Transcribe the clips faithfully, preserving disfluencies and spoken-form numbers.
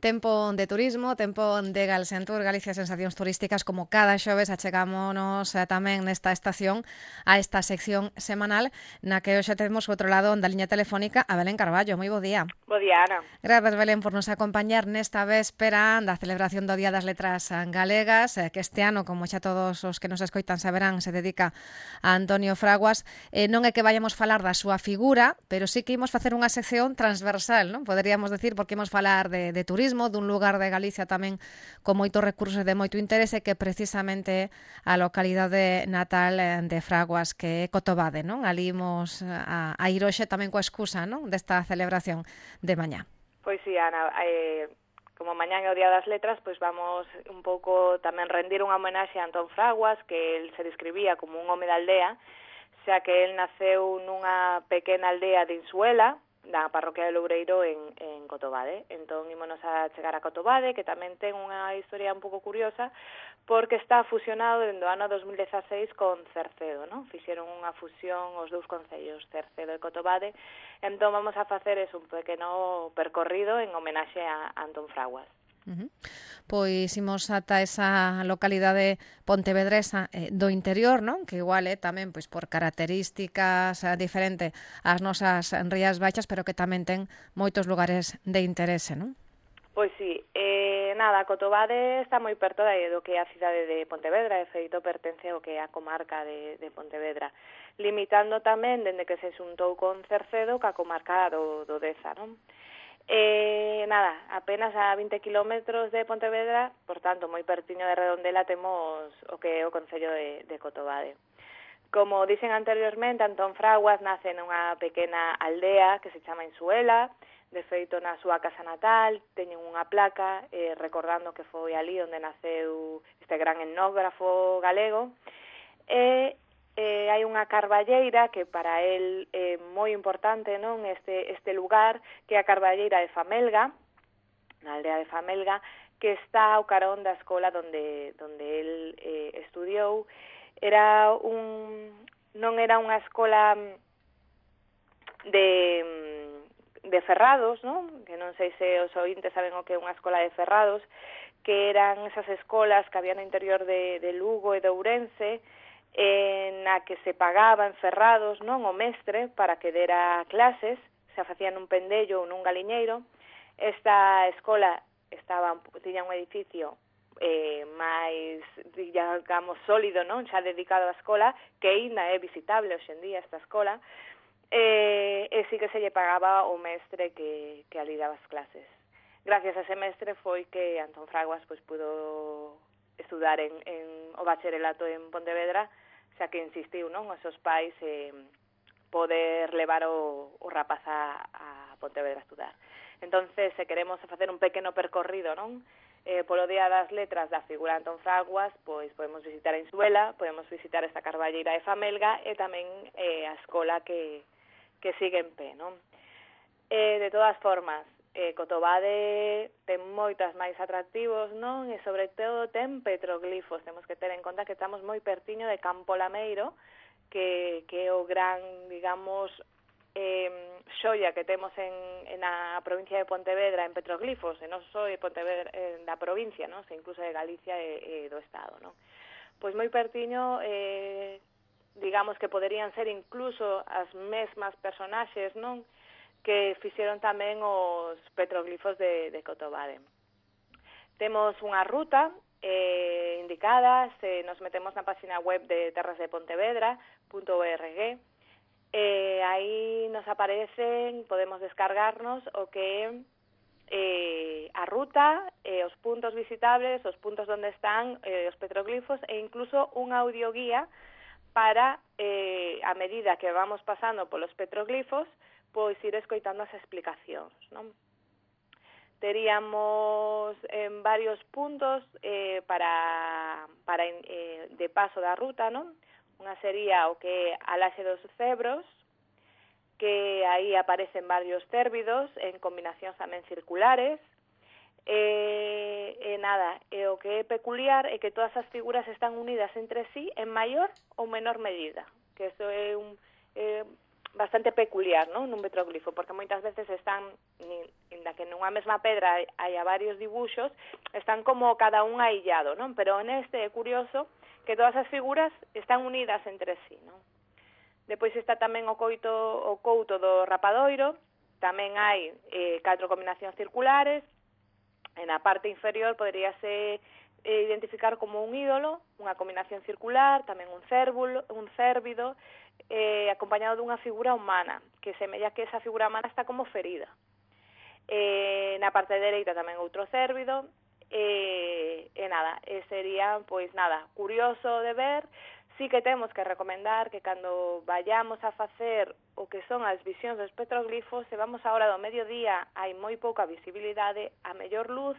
Tempo de turismo, tempo de Galsentur, Galicia Sensacións Turísticas, como cada xoves achegámonos eh, tamén nesta estación a esta sección semanal na que hoxe temos outro lado da liña telefónica a Belén Carballo. Moi bo día. Bo día, Ana. Grazas, Belén, por nos acompañar nesta véspera da celebración do Día das Letras Galegas, eh, que este ano, como xa todos os que nos escoitan saberán, se dedica a Antonio Fraguas. Eh, non é que vayamos falar da súa figura, pero sí que imos facer unha sección transversal, non? Poderíamos decir, porque imos falar de, de turismo, dun lugar de Galicia tamén con moitos recursos e de moito interese, que precisamente a localidade natal de Fraguas, que é Cotobade, non? Ali imos a, a ir hoxe tamén coa excusa, non? Desta celebración de mañá. Pois sí, Ana, eh, como mañán é o Día das Letras, pois vamos un pouco tamén rendir unha homenaxe a Antón Fraguas, que el se describía como un home da aldea, xa que el naceu nunha pequena aldea de Insuela, da parroquia de Loureiro en, en Cotobade. Entón, ímonos a chegar a Cotobade, que tamén ten unha historia un pouco curiosa, porque está fusionado dende o ano dos mil dezaseis con Cercedo, non? Fixeron unha fusión os dous concellos, Cercedo e Cotobade. Entón, vamos a facer eso, un pequeno percorrido en homenaxe a Antón Fraguas. Uh-huh. Pois imos ata esa localidade pontevedresa eh, do interior, non? Que igual é eh, tamén pois por características eh, diferente ás nosas Rías Baixas, pero que tamén ten moitos lugares de interese, non? Pois sí, eh, nada, Cotobade está moi perto de, do que é a cidade de Pontevedra, de feito pertence ao que é a comarca de, de Pontevedra, limitando tamén dende que se xuntou con Cercedo ca comarca do, do Deza, non? Eh, nada, apenas a vinte kilómetros de Pontevedra, por tanto, moi pertiño de Redondela, temos o que é o concello de, de Cotobade. Como dixen anteriormente, Antón Fraguas nace nunha pequena aldea que se chama Insuela. De feito, na súa casa natal teñen unha placa eh, recordando que foi ali onde naceu este gran etnógrafo galego. E Eh, hai unha carballeira que para el é moi importante, non? Este, este lugar, que é a carballeira de Famelga, na aldea de Famelga, que está ao carón da escola donde, donde el eh, estudiou. Era un, non era unha escola de, de ferrados, non? Que non sei se os ointes saben o que é unha escola de ferrados, que eran esas escolas que había no interior de, de Lugo e de Ourense, en na que se pagaba en ferrados, non, o mestre para que dera clases, se facían nun pendello ou nun galiñeiro. Esta escola estaba, tiña un edificio eh, máis, digamos, sólido, non, xa dedicado á escola, que ainda é visitable hoxe en día esta escola, eh, e sí que se lle pagaba o mestre que, que ali daba as clases. Gracias a ese mestre foi que Antón Fraguas pois pudo estudar en, en o bacharelato en Pontevedra, xa que insistiu, non, os seus pais eh, poder levar o, o rapaz a, a Pontevedra a estudar. Entonces, se queremos facer un pequeno percorrido, non, eh, polo Día das Letras da figura de Antón Fraguas, pois podemos visitar a Insuela, podemos visitar esta carballeira de Famelga e tamén eh, a escola que, que sigue en pé, non? Eh, de todas formas, Eh, Cotobade ten moitas máis atractivos, non? E sobre todo ten petroglifos. Temos que ter en conta que estamos moi pertiño de Campo Lameiro, que, que é o gran, digamos, eh, xoia que temos en, en a provincia de Pontevedra en petroglifos, e non só de Pontevedra, eh, da provincia, non? Se incluso de Galicia e, e do Estado, non? Pois moi pertiño, eh, digamos que poderían ser incluso as mesmas personaxes, non? Que fixeron tamén os petroglifos de, de Cotobade. Temos unha ruta eh, indicada, se nos metemos na página web de terras de pontevedra punto org, eh, aí nos aparecen, podemos descargarnos o que é eh, a ruta, eh, os puntos visitables, os puntos onde están eh, os petroglifos e incluso un audioguía para, eh, a medida que vamos pasando polos petroglifos, pois ir escoitando as explicacións, non? Teríamos en varios puntos eh, para, para eh, de paso da ruta, non? Unha sería o que é a Laxe dos Cebros, que aí aparecen varios cérvidos en combinacións tamén circulares, e, e nada, e o que é peculiar é que todas as figuras están unidas entre sí en maior ou menor medida, que iso é un... Eh, bastante peculiar, non? Nun petroglifo, porque moitas veces están, inda que nunha mesma pedra hai a varios dibuxos, están como cada un aillado, non? Pero neste é curioso que todas as figuras están unidas entre sí, non? Depois está tamén o coito o couto do rapadoiro, tamén hai eh, catro combinacións circulares, e na parte inferior poderíase eh, identificar como un ídolo, unha combinación circular, tamén un cérvulo, un cérvido, eh, acompañado dunha figura humana, que semella que esa figura humana está como ferida. Eh, na parte dereita tamén outro cérvido, e, e nada, e sería, pois nada, curioso de ver. Sí que temos que recomendar que cando vayamos a facer o que son as visións dos petroglifos, se vamos a hora do mediodía, hai moi pouca visibilidade, a mellor luz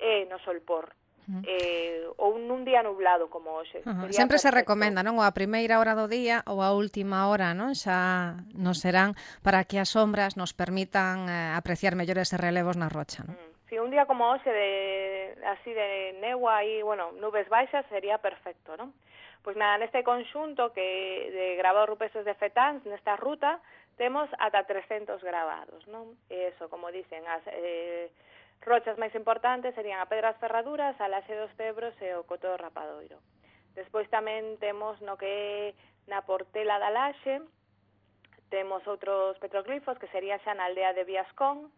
é no solpor. Uh-huh. eh, ou nun día nublado como hoxe. Uh-huh. Sempre perfecto. Se recomenda, non? Ou a primeira hora do día ou a última hora, non? Xa nos serán para que as sombras nos permitan eh, apreciar mellor eses relevos na rocha, non? Mm. Si un día como hoxe de así de negua e, bueno, nubes baixas sería perfecto, non? Pois nada, neste conxunto que de grabados rupestres de Fetáns, nesta ruta, temos ata trescentos grabados, non? E eso, como dicen, as eh, rochas máis importantes serían a Pedras Ferraduras, a Laxe dos Cebros e o Coto do Rapadoiro. Despois tamén temos no que na Portela da Laxe, temos outros petroglifos que sería xa na aldea de Viascón,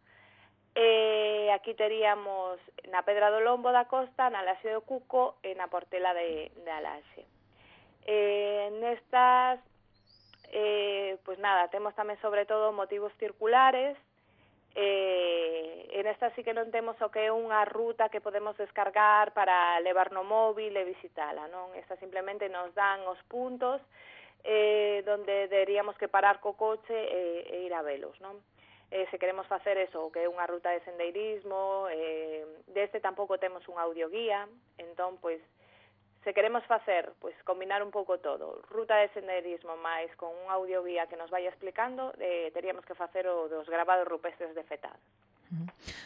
e aquí teríamos na Pedra do Lombo da Costa, na Laxe do Cuco e na Portela de, de Alaxe. Eh, nestas, eh, pois nada, temos tamén sobre todo motivos circulares. Eh, en esta sí que non temos o que é unha ruta que podemos descargar para levar no móvil e visitala, non? Esta simplemente nos dan os puntos eh, donde deberíamos que parar co coche e, e ir a velos, non? Eh, se queremos facer eso, que é unha ruta de sendeirismo, eh, deste tampouco temos un audioguía, entón, pois, se queremos facer, pois, combinar un pouco todo, ruta de senderismo máis con un audioguía que nos vaya explicando, eh, teríamos que facer o dos grabados rupestres de Fetán.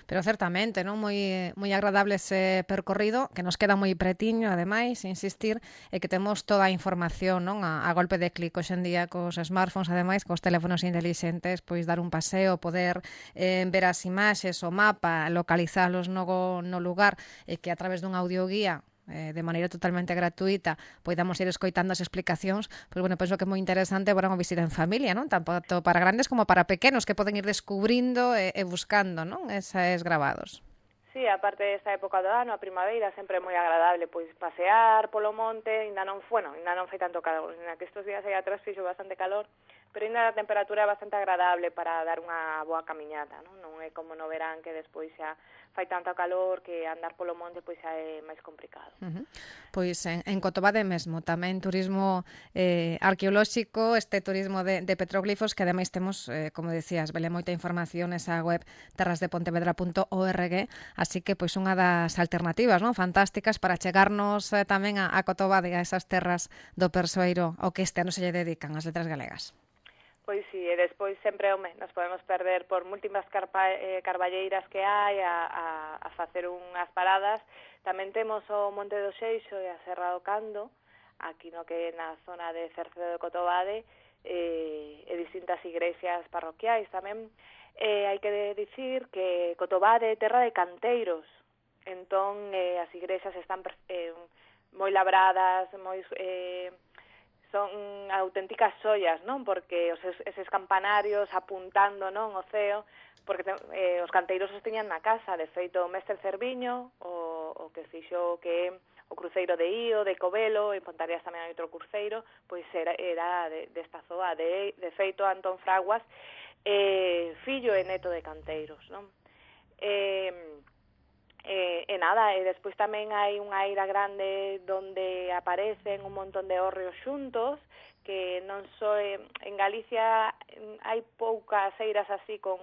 Pero certamente, non, moi moi agradable ese percorrido, que nos queda moi pretiño, ademais, insistir, e que temos toda a información, non, a, a golpe de clic hoxe en día cos smartphones, ademais, cos teléfonos intelixentes, pois dar un paseo, poder eh, ver as imaxes, o mapa, localizalos no, no lugar, e que a través dun audioguía eh, de maneira totalmente gratuita poidamos ir escoitando as explicacións, pois bueno, penso que é moi interesante para unha visita en familia, non? Tanto para grandes como para pequenos que poden ir descubrindo e, e buscando, non? Eses grabados. Sí, aparte desta época do ano, a primavera, sempre é moi agradable pois pasear polo monte, ainda non, bueno, ainda non fai tanto calor, ainda que estes días aí atrás fixo bastante calor, pero ainda a temperatura é bastante agradable para dar unha boa camiñata, non? Non é como no verán que despois xa fai tanto calor que andar polo monte pois xa é máis complicado. Uh-huh. Pois en, en Cotobade mesmo, tamén turismo eh, arqueolóxico, este turismo de, de petroglifos, que ademais temos, eh, como decías, vele moita información nesa web terras de pontevedra punto org, así que pois unha das alternativas, non, fantásticas para chegarnos eh, tamén a, a Cotobade, a esas terras do Persoeiro, ao que este ano se lle dedican as letras galegas. Pois sí, e despois sempre, home, nos podemos perder por múltiplas carpa, eh, carballeiras que hai a, a, a facer unhas paradas. Tamén temos o Monte do Xeixo e a Serra do Cando, aquí no que na zona de Cercedo de Cotobade, eh, e distintas igrexas parroquiais tamén. Eh, hai que dicir que Cotobade é terra de canteiros, entón eh, as igrexas están eh, moi labradas, moi... Eh, son auténticas xoias, non? Porque os, eses campanarios apuntando, non, o ceo, porque eh, os canteiros os tiñan na casa, de feito o mestre Cerviño, o, o que fixo que o cruceiro de Ío, de Covelo, en Pontareas tamén hai outro cruceiro, pois era, era de, desta zoa, de, de feito Antón Fraguas, eh, fillo e neto de canteiros, non? Eh, E, e nada, e despois tamén hai unha eira grande donde aparecen un montón de hórreos xuntos, que non só en Galicia hai poucas eiras así con,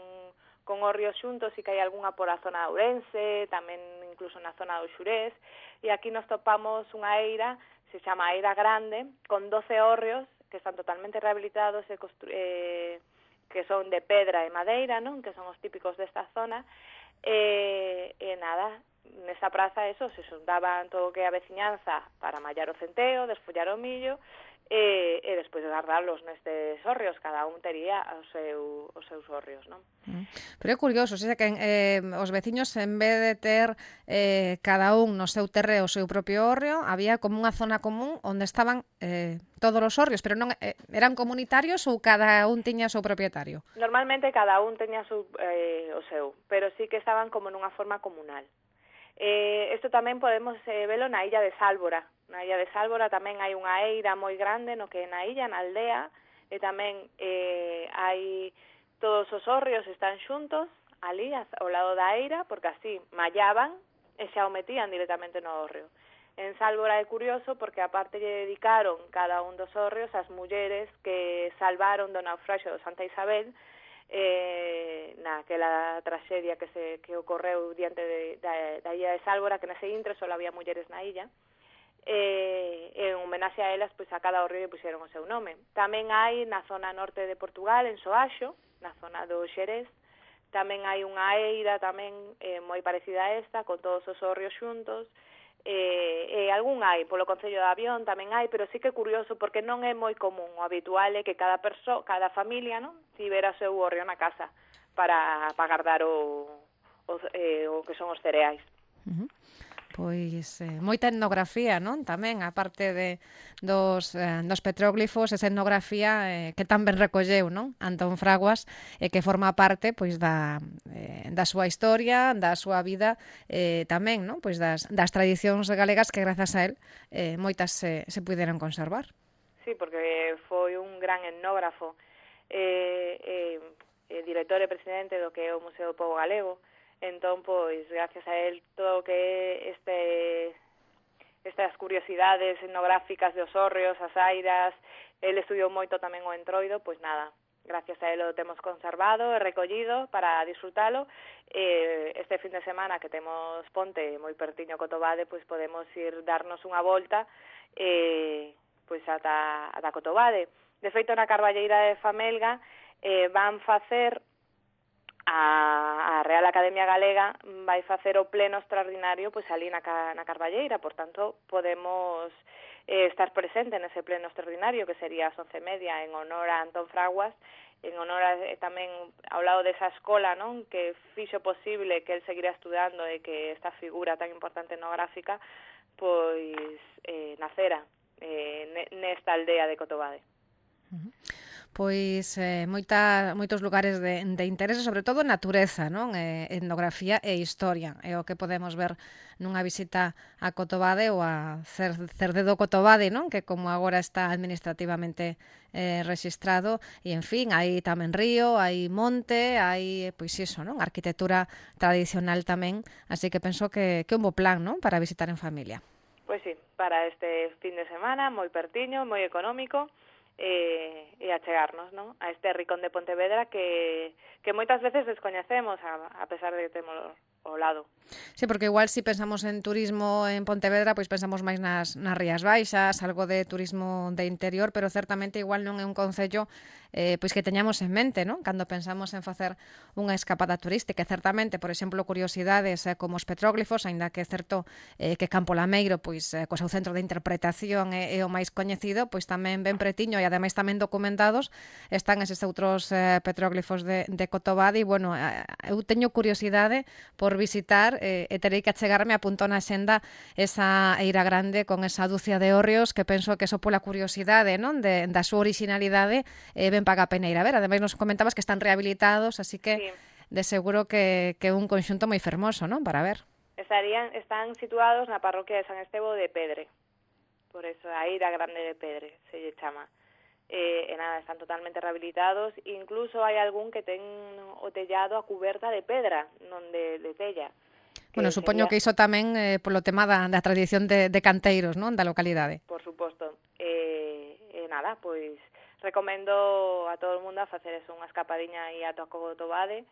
con hórreos xuntos, e que hai algunha por a zona de Ourense, tamén incluso na zona do Xurés, e aquí nos topamos unha eira, se chama Eira Grande, con doce hórreos que están totalmente rehabilitados e constru- eh, que son de pedra e madeira, non? Que son os típicos desta zona. E, e nada, nesa praza eso, se xuntaban todo o que é a veciñanza para mallar o centeo, desfollar o millo, e, e despois guardarlos nestes hórreos, cada un tería os, seu, os seus hórreos, non? Pero é curioso, xa que eh, os veciños, en vez de ter eh, cada un no seu terreo o seu propio hórreo, había como unha zona común onde estaban eh, todos os hórreos, pero non eh, eran comunitarios ou cada un tiña o seu propietario? Normalmente cada un teña su, eh, o seu, pero sí que estaban como nunha forma comunal. Eh, isto tamén podemos eh, velo na illa de Sálvora. Na illa de Sálvora tamén hai unha eira moi grande no que na illa, na aldea, e tamén eh, hai todos os hórreos están xuntos ali ao lado da eira, porque así mallaban e xa o metían directamente no hórreo. En Sálvora é curioso porque aparte lle dedicaron cada un dos hórreos ás mulleres que salvaron do naufraxio do Santa Isabel, eh, naquela traxedia que se que ocorreu diante de, da, da illa de Sálvora, que nese intre só había mulleres na illa, e en homenaxe a elas, pois a cada hórreo lle puxeron o seu nome. Tamén hai na zona norte de Portugal, en Soaxo, na zona do Xerés, tamén hai unha eira tamén eh, moi parecida a esta, con todos os hórreos xuntos, e, e algún hai, polo Concello de Avión tamén hai, pero sí que é curioso porque non é moi común, o habitual é que cada perso, cada familia, non, tivera o seu hórreo na casa para, para guardar o, o, eh, o que son os cereais. Uh-huh. Pois eh, moita etnografía, non? Tamén, a parte de, dos, eh, dos petróglifos, esa etnografía eh, que tan ben recolleu, non? Antón Fraguas, e eh, que forma parte pois da, eh, da súa historia, da súa vida, eh, tamén, non? Pois das, das tradicións galegas que grazas a él eh, moitas se, se puderon conservar. Sí, porque foi un gran etnógrafo, eh, eh, eh, director e presidente do que é o Museo do Pobo Galego. Entón, pois, gracias a él, todo o que é este, estas curiosidades etnográficas dos hórreos, as airas, él estudiou moito tamén o entroido, pois nada, gracias a él o temos conservado e recollido para disfrutalo. Eh, este fin de semana que temos ponte moi pertiño Cotobade, pois podemos ir darnos unha volta eh, pois ata, ata Cotobade. De feito, na Carballeira de Famelga eh, van facer a, a Real Academia Galega vai facer o pleno extraordinario pois ali na, na Carballeira, por tanto podemos eh, estar presente nese pleno extraordinario que sería as once e media en honor a Antón Fraguas, en honor a, eh, tamén ao lado desa escola, non, que fixo posible que el seguira estudando e que esta figura tan importante etnográfica pois eh, nacera eh, nesta aldea de Cotobade. Uh-huh. Pois eh, moita, moitos lugares de, de interese, sobre todo natureza, non? Eh, etnografía e historia. É o que podemos ver nunha visita a Cotobade ou a Cerdedo Cotobade, non? Que como agora está administrativamente eh, registrado. E, en fin, hai tamén río, hai monte, hai, pois iso, non? Arquitectura tradicional tamén. Así que penso que, que é un bo plan, non? Para visitar en familia. Pois sí, para este fin de semana, moi pertiño, moi económico, e, e achegarnos, non? A este ricón de Pontevedra que, que moitas veces descoñecemos a, a pesar de que temos ao lado. Sí, porque igual si pensamos en turismo en Pontevedra, pois pensamos máis nas, nas Rías Baixas, algo de turismo de interior, pero certamente igual non é un concello eh, pois que teñamos en mente, non? Cando pensamos en facer unha escapada turística. Certamente, por exemplo, curiosidades eh, como os petróglifos, aínda que é certo eh, que Campo Lameiro, pois, eh, co seu centro de interpretación é, é o máis coñecido, pois tamén ben pretiño e ademais tamén documentados están eses outros eh, petróglifos de, de Cotobade e, bueno, eh, eu teño curiosidade por visitar eh, e terei que achegarme, apunto na xenda esa eira grande con esa dúcia de hórreos que penso que só pola curiosidade, non, de, da súa originalidade eh, ben paga a pena ir a ver. Ademais nos comentabas que están rehabilitados, así que sí, de seguro que é que un conxunto moi fermoso, non, para ver. Estarían, están situados na parroquia de San Estevo de Pedre, por eso a eira grande de Pedre se lle chama. Eh, e nada, están totalmente rehabilitados, incluso hai algún que ten o tellado a cuberta de pedra, non de, de tella. Bueno, supoño sería... que iso tamén eh, polo tema da, da tradición de, de canteiros, non, da localidade. Por suposto. E eh, eh, nada, pois recomendo a todo o mundo a facer eso, unha escapadiña aí a Cotobade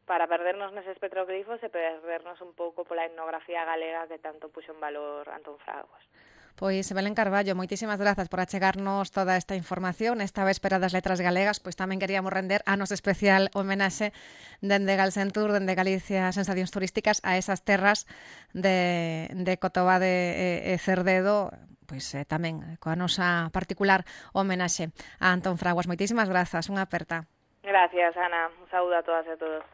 para perdernos neses petroglifos e perdernos un pouco pola etnografía galega que tanto puxo en valor Antón Fraguas. Pois Belén Carballo, moitísimas grazas por achegarnos toda esta información. Esta véspera das Letras Galegas, pois tamén queríamos render a nosa especial homenaxe dende Galsentur, dende Galicia Sensacións Turísticas, a esas terras de, de Cotobade e, e Cerdedo, pois eh, tamén coa nosa particular homenaxe a Antón Fraguas. Moitísimas grazas, unha aperta. Gracias, Ana. Un saúdo a todas e a todos.